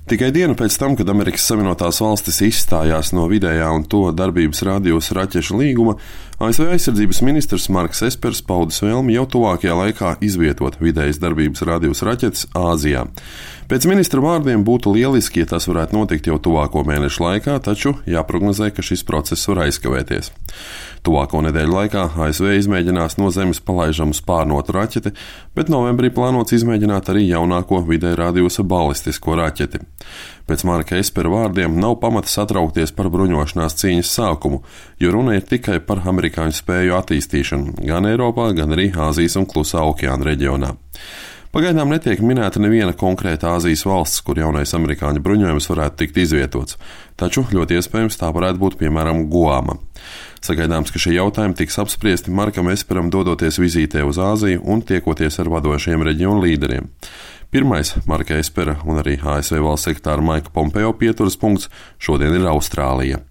Tikai dienu pēc tam, kad Amerikas Savienotās Valstis izstājās no vidējā un to darbības rādījus raķešu līguma, ASV aizsardzības ministrs Marks Espers paudis vēlmi jau tuvākajā laikā izvietot vidējas darbības rādījus raķetes Āzijā. Pēc ministra vārdiem būtu lieliski, ja tas varētu notikt jau tuvāko mēnešu laikā, taču jāprognozē, ka šis process var aizkavēties. Tuvāko nedēļu laikā ASV izmēģinās no Zemes palaižamu spārnotu raķeti, bet novembrī plānots izmēģināt arī jaunāko vidēja rādījusa balistisko raķeti. Pēc Marka Espera vārdiem nav pamata satraukties par bruņošanās cīņas sākumu, jo runa ir tikai par amerikāņu spēju attīstīšanu gan Eiropā, gan arī Āzijas un Klusā okeāna reģionā. Pagaidām netiek minēta neviena konkrēta Āzijas valsts, kur jaunais amerikāņu bruņojums varētu tikt izvietots, taču ļoti iespējams tā varētu būt piemēram Guama. Sagaidāms, ka šie jautājumi tiks apspriesti Markam Esperam dodoties vizītē uz Āziju un tiekoties ar vadošiem reģionu līderiem. Pirmais Marka Espera un arī ASV valsts sekretāra Maika Pompeo pieturas punkts šodien ir Austrālija.